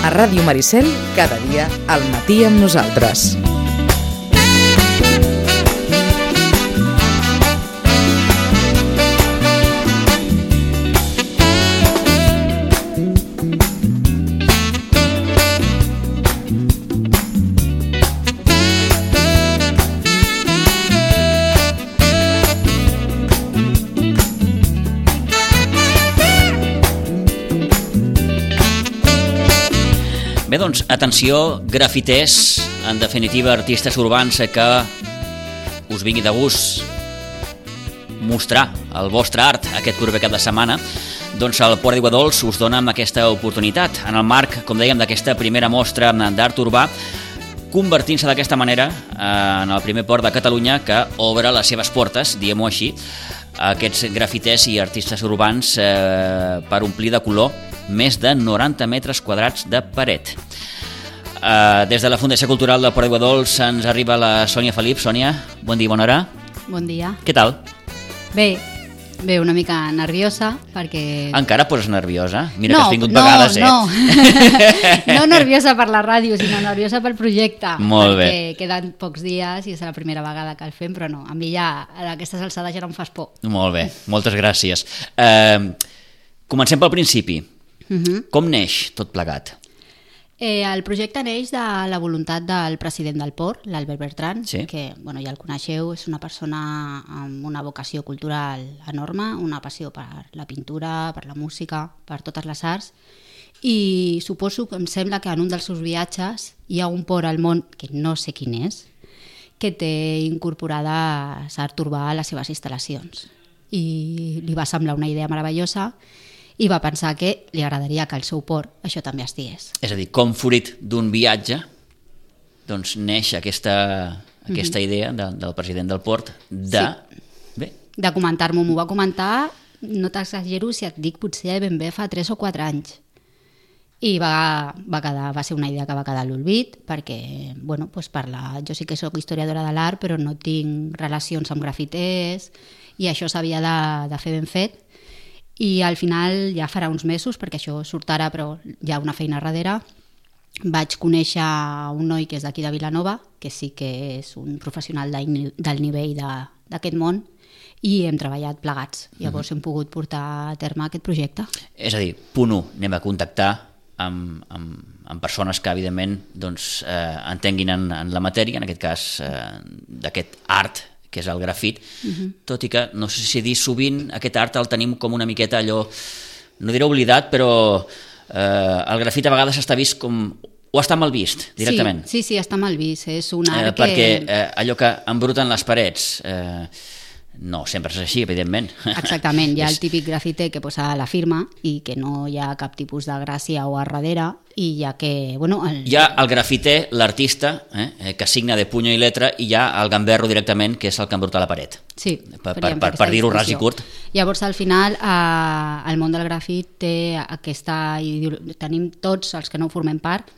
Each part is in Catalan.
A Ràdio Maricel, cada dia al matí amb nosaltres. Bé, doncs, atenció, grafiters, en definitiva, artistes urbans, que us vingui de gust mostrar el vostre art aquest proper cap de setmana, doncs el Port d'Aiguadols us dona aquesta oportunitat. En el marc, com dèiem, d'aquesta primera mostra d'art urbà, convertint-se d'aquesta manera en el primer port de Catalunya que obre les seves portes, diguem-ho així, a aquests grafiters i artistes urbans per omplir de color més de 90 metres quadrats de paret. Des de la Fundació Cultural del Port d'Aiguadols ens arriba la Sònia Felip. Sònia, bon dia, bona hora. Bon dia. Què tal? Bé, una mica nerviosa perquè... Encara poses nerviosa? Mira que has vingut vegades, No nerviosa per la ràdio, sinó nerviosa pel projecte. Molt bé. Perquè queden pocs dies i és la primera vegada que el fem, però no, a mi ja a aquestes alçades ja no em fas por. Molt bé, moltes gràcies. Comencem pel principi. Com neix tot plegat? El projecte neix de la voluntat del president del port, l'Albert Bertran, sí, que ja el coneixeu, és una persona amb una vocació cultural enorme, una passió per la pintura, per la música, per totes les arts, i suposo que em sembla que en un dels seus viatges hi ha un port al món, que no sé quin és, que té incorporada l'art urbà a les seves instal·lacions. I li va semblar una idea meravellosa i va pensar que li agradaria que al seu port això també estigués. És a dir, com fruit d'un viatge, doncs neix aquesta idea del president del port de... Sí. Bé. De comentar-m'ho, m'ho va comentar, no t'exagero si et dic potser ben bé fa 3 o 4 anys. I va ser una idea que va quedar a l'olvid, perquè, jo sí que soc historiadora de l'art, però no tinc relacions amb grafiters, i això s'havia de fer ben fet. I al final, ja farà uns mesos, perquè això surt ara però hi ha una feina darrere, vaig conèixer un noi que és d'aquí de Vilanova, que sí que és un professional del nivell d'aquest món, i hem treballat plegats. Llavors hem pogut portar a terme aquest projecte. És a dir, punt 1, anem a contactar amb persones que evidentment entenguin en la matèria, en aquest cas d'aquest art que és el grafit, tot i que no sé si dir sovint aquest art el tenim com una miqueta allò, no diré oblidat, però el grafit a vegades està vist com... o està mal vist directament. Sí, està mal vist, és un art perquè allò que embruten les parets... No, sempre és així, evidentment. Exactament, hi ha el típic grafiter que posa la firma i que no hi ha cap tipus de gràcia o a darrere, i ja que... Hi ha el grafiter, l'artista, que signa de puny i letra, i hi ha el gamberro directament, que és el que embruta la paret. Sí, per dir-ho ras i curt. Llavors, al final, el món del grafit té aquesta... Tenim tots els que no formem part,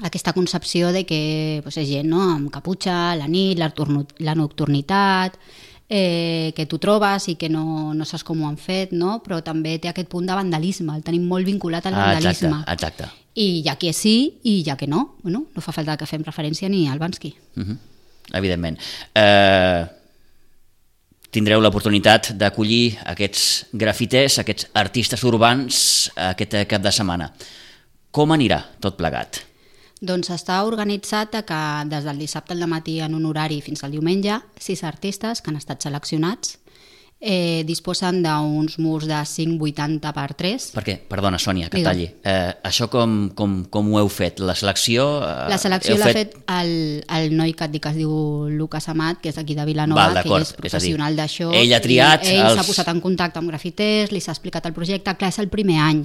aquesta concepció de que és gent amb caputxa, la nit, la nocturnitat... que tu trobes i que no saps com ho han fet, no? Però també té aquest punt de vandalisme, el tenim molt vinculat al vandalisme. Exacte. I hi ha qui sí i hi ha qui no. No fa falta que fem referència ni al Bansky. Evidentment. Tindreu l'oportunitat d'acollir aquests grafiters, aquests artistes urbans aquest cap de setmana. Com anirà tot plegat? Doncs està organitzat que des del dissabte al matí en un horari fins al diumenge 6 artistes que han estat seleccionats disposen d'uns murs de 5,80x3. Per què? Perdona, Sònia, que talli. Això com ho heu fet? La selecció... La selecció l'ha fet el noi que et dic que es diu Lucas Amat, que és d'aquí de Vilanova, que ell és professional d'això. Ell ha triat... Ell s'ha posat en contacte amb grafiters, li s'ha explicat el projecte. Clar, és el primer any.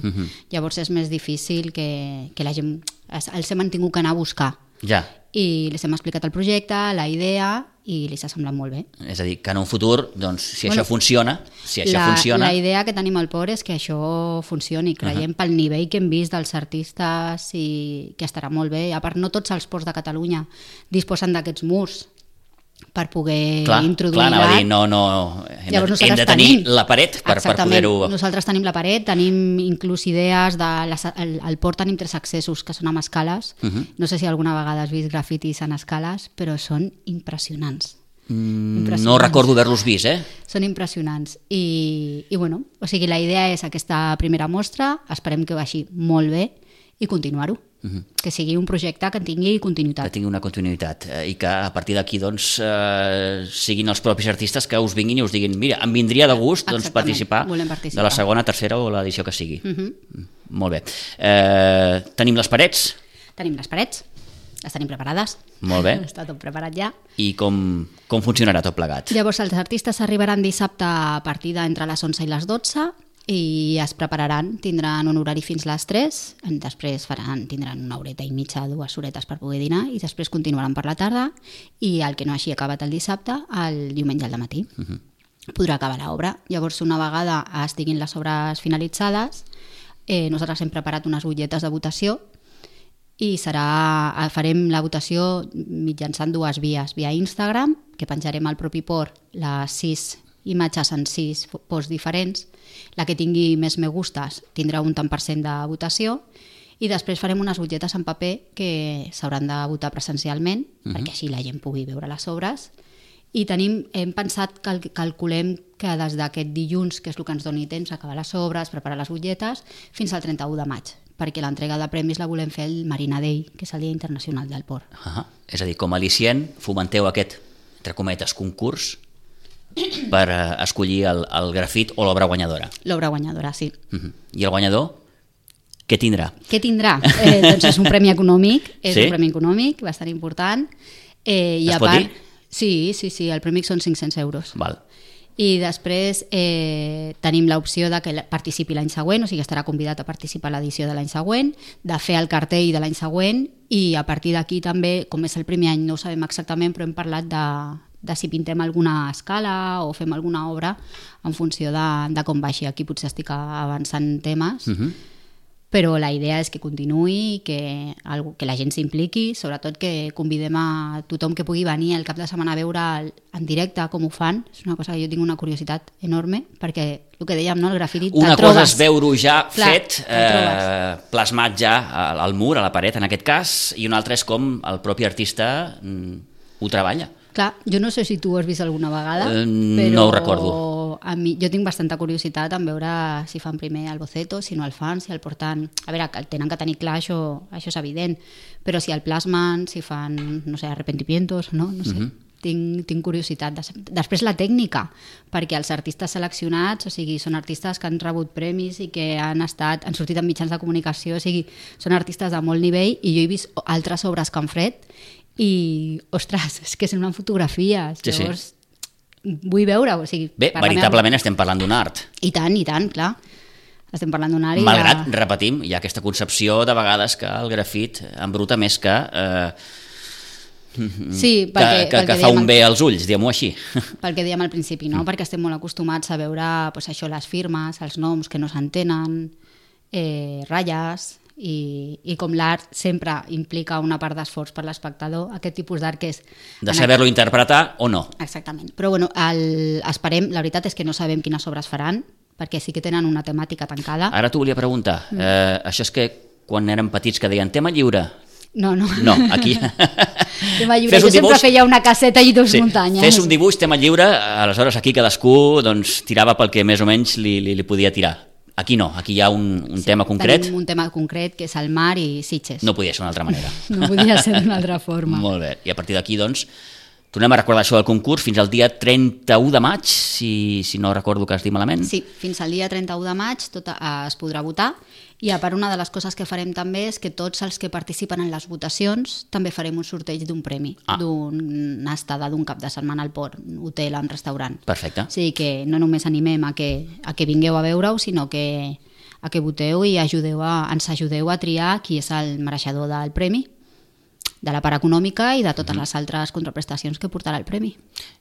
Llavors és més difícil que la gent... Els hem tingut que anar a buscar. Ja. I els hem explicat el projecte, la idea, i li s'ha semblat molt bé. És a dir, que en un futur, doncs, si això funciona... La idea que tenim al port és que això funcioni. Creiem pel nivell que hem vist dels artistes i que estarà molt bé. A part, no tots els ports de Catalunya disposen d'aquests murs. per poder Clar, introduir anava a l'art. dir, no, Llavors hem de tenir la paret per Exactament. poder-ho... Nosaltres tenim la paret, tenim inclús idees al port tenim 3 accessos que són amb escales. No sé si alguna vegada has vist grafitis en escales, però són impressionants. No recordo haver-los vist, Són impressionants. I bueno, o sigui, la idea és aquesta primera mostra, esperem que vagi molt bé i continuar-ho. Que sigui un projecte que tingui continuïtat. Que tingui una continuïtat i que a partir d'aquí doncs, siguin els propis artistes que us vinguin i us diguin mira, em vindria de gust doncs, participar de la segona, tercera o l'edició que sigui. Molt bé. Tenim les parets? Tenim les parets, les tenim preparades. Molt bé. Està tot preparat ja. I com funcionarà tot plegat? Llavors els artistes arribaran dissabte a partir d'entre les 11 i les 12 i es prepararan, tindran un horari fins les 3, després tindran una horeta i mitja, 2 horetes per poder dinar i després continuaran per la tarda i el que no hagi acabat el dissabte, el diumenge al matí. Podrà acabar l'obra. Llavors, una vegada estiguin les obres finalitzades, nosaltres hem preparat unes butlletes de votació i farem la votació mitjançant 2 vies. Via Instagram, que penjarem al propi port les 6 imatges en 6 posts diferents. La que tingui més me gustes tindrà un tant per cent de votació i després farem unes butlletes en paper que s'hauran de votar presencialment perquè així la gent pugui veure les obres i hem pensat, calculem que des d'aquest dilluns, que és el que ens doni temps, acabar les obres, preparar les butlletes, fins al 31 de maig, perquè l'entrega de premis la volem fer el Marina Day, que és el Dia Internacional del Port. És a dir, com a al·licient fomenteu aquest, entre cometes, concurs per escollir el grafit o l'obra guanyadora. L'obra guanyadora, sí. I el guanyador, què tindrà? Què tindrà? Doncs és un premi econòmic, Sí? un premi econòmic bastant important. Es pot dir? Sí, el premi són 500 euros. Val. I després tenim l'opció de que participi l'any següent, o sigui, estarà convidat a participar a l'edició de l'any següent, de fer el cartell de l'any següent i a partir d'aquí també, com és el primer any, no ho sabem exactament, però hem parlat de si pintem alguna escala o fem alguna obra en funció de com vagi. Aquí potser estic avançant temes, però la idea és que continuï i que la gent s'impliqui, sobretot que convidem a tothom que pugui venir el cap de setmana a veure en directe com ho fan. És una cosa que jo tinc una curiositat enorme, perquè el que dèiem, no? El grafiti una te'l trobes. cosa és veure-ho ja fet, te'l trobes. plasmat ja al mur, a la paret en aquest cas, i una altra és com el propi artista ho treballa. Clar, jo no sé si tu ho has vist alguna vegada, però no ho recordo. Jo tinc bastanta curiositat en veure si fan primer el boceto, si no el fan, si el porten... A veure, que tenen que tenir clar, això és evident, però si el plasmen, si fan, no sé, arrepentimientos, no sé. Tinc curiositat. Després la tècnica, perquè els artistes seleccionats, o sigui, són artistes que han rebut premis i que han sortit en mitjans de comunicació, o sigui, són artistes de molt nivell i jo he vist altres obres que han fet i, ostres, és que semblen fotografies. Sí, llavors, vull veure, o sigui... Bé, veritablement estem parlant d'un art. I tant, clar. Estem parlant d'un art i... Malgrat, repetim, hi ha aquesta concepció de vegades que el grafit embruta més que... Sí, que fa un bé als ulls, diguem-ho així. Pel que dèiem al principi, no? Perquè estem molt acostumats a veure això, les firmes, els noms que no s'entenen, ratlles, i com l'art sempre implica una part d'esforç per l'espectador, aquest tipus d'art que és... De saber-lo interpretar o no. Exactament. Però bueno, esperem, la veritat és que no sabem quines obres faran, perquè sí que tenen una temàtica tancada. Ara t'ho volia preguntar. Això és que quan érem petits que deien tema lliure... No, aquí... Tema lliure, jo sempre feia una caseta i 2 muntanyes. Fes un dibuix, tema lliure, aleshores aquí cadascú tirava pel que més o menys li podia tirar. Aquí no, aquí hi ha un tema concret. Tenim un tema concret que és el mar i Sitges. No podia ser d'una altra manera. No podia ser d'una altra forma. Molt bé, i a partir d'aquí doncs tornem a recordar això del concurs fins al dia 31 de maig, si no recordo que has dit malament. Sí, fins al dia 31 de maig es podrà votar i a part una de les coses que farem també és que tots els que participen en les votacions també farem un sorteig d'un premi, d'una estada d'un cap de setmana al port, un hotel, un restaurant. Perfecte. O sigui que no només animem a que vingueu a veure-ho, sinó que voteu i ens ajudeu a triar qui és el mereixedor del premi, de la part econòmica i de totes les altres contraprestacions que portarà el premi.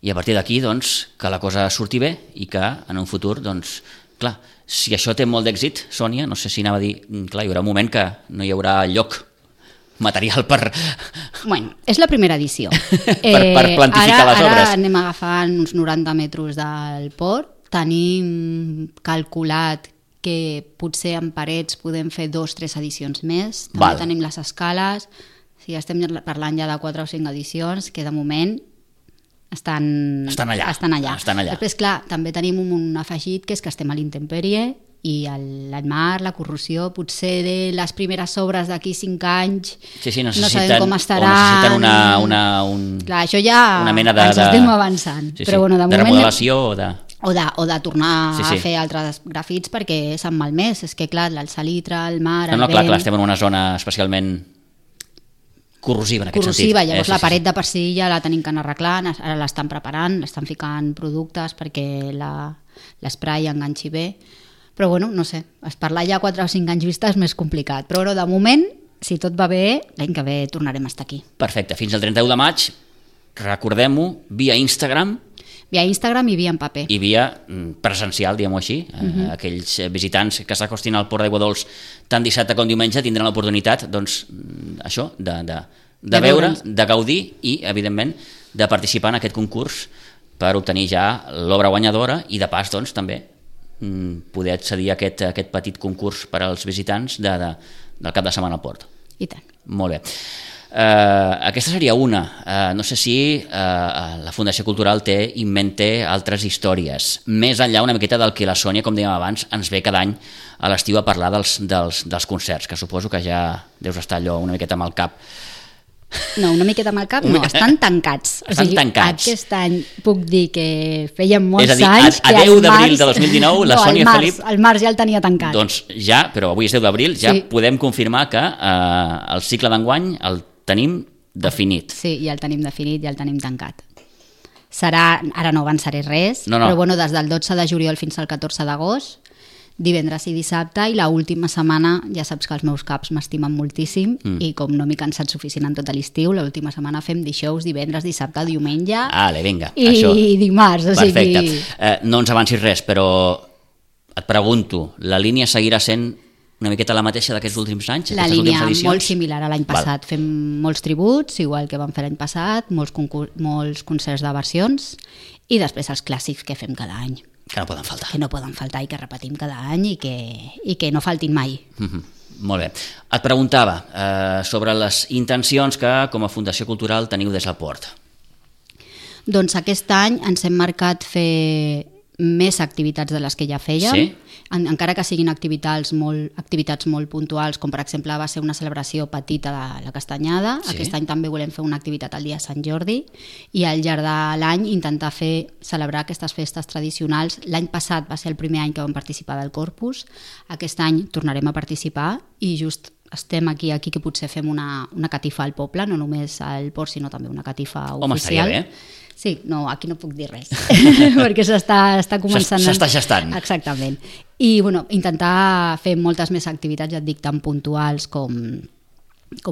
I a partir d'aquí, doncs, que la cosa surti bé i que en un futur, doncs, clar, si això té molt d'èxit, Sònia, no sé si anava a dir, clar, hi haurà un moment que no hi haurà lloc material per... Bueno, és la primera edició. per plantificar les obres. Ara anem agafant uns 90 metres del port. Tenim calculat que potser en parets podem fer 2 o 3 edicions més. També tenim les escales. O sigui, estem parlant ja de 4 o 5 edicions que de moment estan allà. Després, clar, també tenim un afegit que és que estem a l'intempèrie i l'enmar, la corrosió, potser de les primeres obres d'aquí 5 anys no sabem com estaran. Clar, això ja una mena ens estem avançant. Sí, però, bueno, de remodelació o de... O de tornar a fer altres grafits perquè s'han malmès. És que, clar, el salitre, el mar, el vent... Clar, estem en una zona especialment corrosiva, en aquest sentit. Llavors la paret de per si ja la tenim que anar arreglant, ara l'estan preparant, l'estan ficant productes perquè l'esprai enganxi bé. Però, bueno, no sé, parlar ja 4 o 5 anys vista és més complicat. Però, de moment, si tot va bé, l'any que ve tornarem a estar aquí. Perfecte, fins al 31 de maig, recordem-ho, via Instagram, via Instagram i via en paper. I via presencial, diguem-ho així. Aquells visitants que s'acostin al Port d'Aigua Dols tant dissabte com diumenge tindran l'oportunitat, doncs, això, de veure, de gaudir i, evidentment, de participar en aquest concurs per obtenir ja l'obra guanyadora i, de pas, doncs, també poder accedir a aquest petit concurs per als visitants del cap de setmana al Port. I tant. Molt bé. Aquesta seria una. No sé si la Fundació Cultural té en mente altres històries, més enllà una miqueta del que la Sònia, com dèiem abans, ens ve cada any a l'estiu a parlar dels concerts, que suposo que ja deus estar allò una miqueta amb el cap. No, una miqueta amb el cap, no, estan tancats. Estan tancats. Aquest any puc dir que feien molts anys... És a dir, a 10 d'abril de 2019 la Sònia i Felip... El març ja el tenia tancat. Doncs ja, però avui és 10 d'abril, ja podem confirmar que el cicle d'enguany el tenim definit. Sí, ja el tenim definit, ja el tenim tancat. Ara no avançaré res, no. Però bueno, des del 12 de juliol fins al 14 d'agost, divendres i dissabte, i l'última setmana, ja saps que els meus caps m'estimen moltíssim, i com no m'he cansat suficient en tot l'estiu, l'última setmana fem dijous, divendres, dissabte, diumenge vinga, i això. Dimarts. Perfecte. No ens avancis res, però et pregunto, la línia seguirà sent una miqueta la mateixa d'aquests últims anys? La línia molt similar a l'any passat. Fem molts tributs, igual que vam fer l'any passat, molts concerts de versions, i després els clàssics que fem cada any. Que no poden faltar. Que no poden faltar i que repetim cada any i que no faltin mai. Molt bé. Et preguntava sobre les intencions que com a Fundació Cultural teniu des del Port. Doncs aquest any ens hem marcat fer més activitats de les que ja fèiem, encara que siguin activitats molt puntuals, com per exemple va ser una celebració petita de la Castanyada. Aquest any també volem fer una activitat al dia de Sant Jordi i al llarg de l'any intentar celebrar aquestes festes tradicionals. L'any passat va ser el primer any que vam participar del Corpus, aquest any tornarem a participar i just estem aquí que potser fem una catifa al poble, no només al Port sinó també una catifa oficial. Home, estaria bé. Sí, no, aquí no puc dir res, perquè s'està començant... S'està gestant. Exactament. I bueno, intentar fer moltes més activitats, ja et dic, tan puntuals com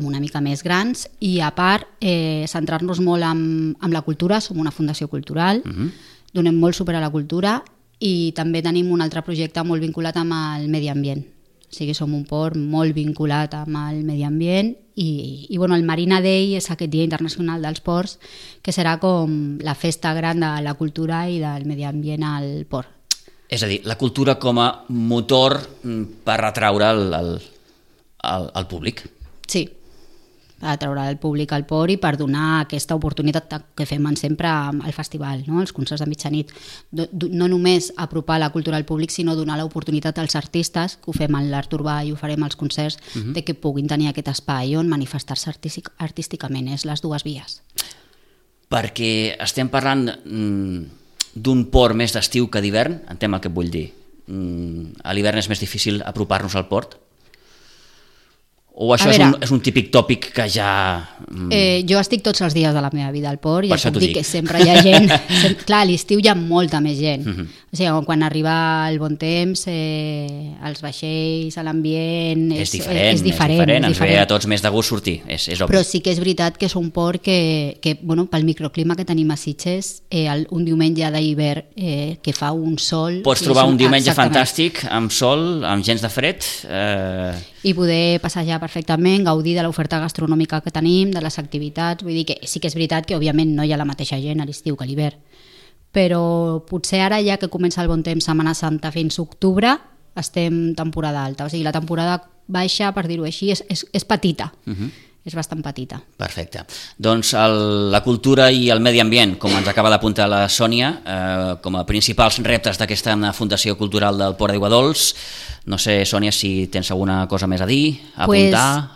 una mica més grans, i a part centrar-nos molt en la cultura. Som una fundació cultural, donem molt suport a la cultura i també tenim un altre projecte molt vinculat amb el medi ambient. O sigui, som un port molt vinculat amb el medi ambient i bueno, el Marina Day és aquest Dia Internacional dels Ports, que serà com la festa gran de la cultura i del medi ambient al port. És a dir, la cultura com a motor per atraure el públic. Sí, per atraure el públic al port i per donar aquesta oportunitat que fem sempre al festival, no? Els concerts de mitjanit. No només apropar la cultura al públic, sinó donar l'oportunitat als artistes, que ho fem en l'art urbà i ho farem als concerts, de que puguin tenir aquest espai on manifestar-se artísticament. És les dues vies. Perquè estem parlant d'un port més d'estiu que d'hivern, entenc el que et vull dir. A l'hivern és més difícil apropar-nos al port? O això és un típic tòpic que ja... Jo estic tots els dies de la meva vida al port i ja puc dir que sempre hi ha gent. Clar, a l'estiu hi ha molta més gent. O sigui, quan arriba el bon temps, els vaixells, l'ambient... És diferent. Ens ve a tots més de gust sortir, és obvi. Però sí que és veritat que és un port que pel microclima que tenim a Sitges, un diumenge d'hivern que fa un sol... Pots trobar un diumenge fantàstic, amb sol, amb gens de fred... i poder passejar perfectament, gaudir de l'oferta gastronòmica que tenim, de les activitats. Vull dir que sí que és veritat que òbviament no hi ha la mateixa gent a l'estiu que a l'hivern, però potser ara ja que comença el bon temps, Setmana Santa fins octubre, estem temporada alta. O sigui, la temporada baixa, per dir-ho així, és petita. És bastant petita. Perfecte. Doncs la cultura i el medi ambient, com ens acaba d'apuntar la Sònia, com a principals reptes d'aquesta Fundació Cultural del Port d'Aiguadols. No sé, Sònia, si tens alguna cosa més a dir, a apuntar?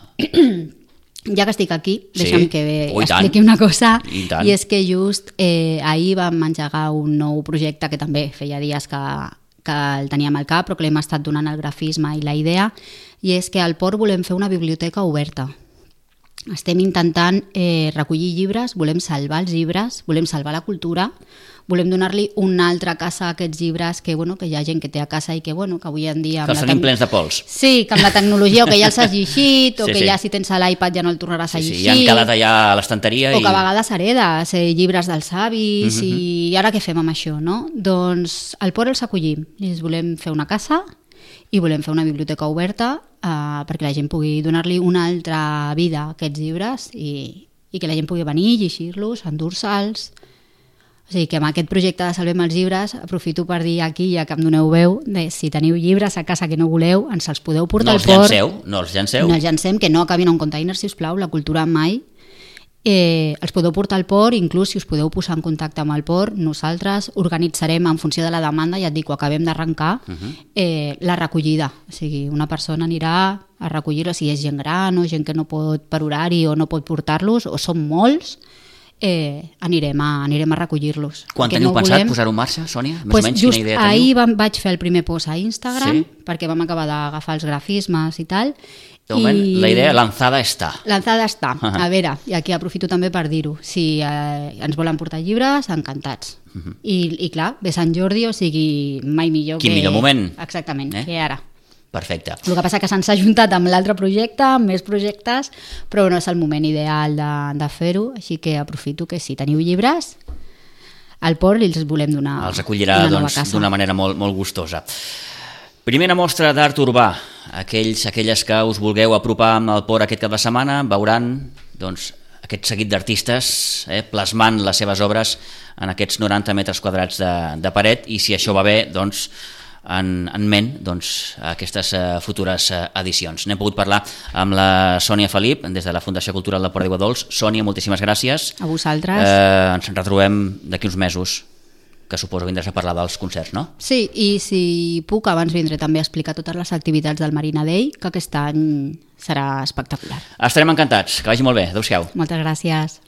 Ja que estic aquí, deixa'm que expliqui una cosa, i és que just ahir vam engegar un nou projecte que també feia dies que el teníem al cap, però que l'hem estat donant el grafisme i la idea, i és que al Port volem fer una biblioteca oberta. Estem intentant recollir llibres, volem salvar els llibres, volem salvar la cultura, volem donar-li una altra casa a aquests llibres que hi ha gent que té a casa i que avui en dia... Que els tenim plens de pols. Sí, que amb la tecnologia o que ja els has llegit o que ja si tens l'iPad ja no el tornaràs a llegir. Sí, ja han calat allà a l'estanteria. O que a vegades heredes llibres dels avis i ara què fem amb això, no? Doncs al Port els acollim i els volem fer una casa i volem fer una biblioteca oberta perquè la gent pugui donar-li una altra vida a aquests llibres i que la gent pugui venir, llegir-los, endur-se'ls. O sigui que amb aquest projecte de Salvem els llibres aprofito per dir aquí, ja que em doneu veu, si teniu llibres a casa que no voleu, ens els podeu portar al port. No els llanceu. No els llancem, que no acabin en un container, si us plau, la cultura mai. Els podeu portar al port, inclús si us podeu posar en contacte amb el port, nosaltres organitzarem en funció de la demanda, ja et dic, ho acabem d'arrencar, la recollida. O sigui, una persona anirà a recollir-los, si és gent gran o gent que no pot per horari o no pot portar-los, o són molts, anirem a recollir-los. Quan teniu pensat posar-ho en marxa, Sònia? Més o menys, quina idea teniu? Ahir vaig fer el primer post a Instagram, perquè vam acabar d'agafar els grafismes i tal. De moment, la idea lanzada està. Lanzada està. A veure, i aquí aprofito també per dir-ho. Si ens volen portar llibres, encantats. I clar, ve Sant Jordi, o sigui, mai millor que... Quin millor moment. Exactament, que ara. Perfecte. El que passa que s'han ajuntat amb l'altre projecte, amb més projectes, però no és el moment ideal de fer-ho, així que aprofito que si teniu llibres, al port els volem donar una nova casa. Els acollirà d'una manera molt, molt gustosa. Primera mostra d'art urbà. Aquelles que us vulgueu apropar amb el port aquest cap de setmana veuran aquest seguit d'artistes plasmant les seves obres en aquests 90 metres quadrats de paret, i si això va bé, en ment aquestes futures edicions. N'hem pogut parlar amb la Sònia Felip des de la Fundació Cultural del Port d'Aiguadols. Sònia, moltíssimes gràcies. A vosaltres. Ens retrobem d'aquí uns mesos, que suposo vindràs a parlar dels concerts, no? Sí, i si puc abans vindré també a explicar totes les activitats del Marina Day, que aquest any serà espectacular. Estarem encantats, que vagi molt bé. Adéu-siau. Moltes gràcies.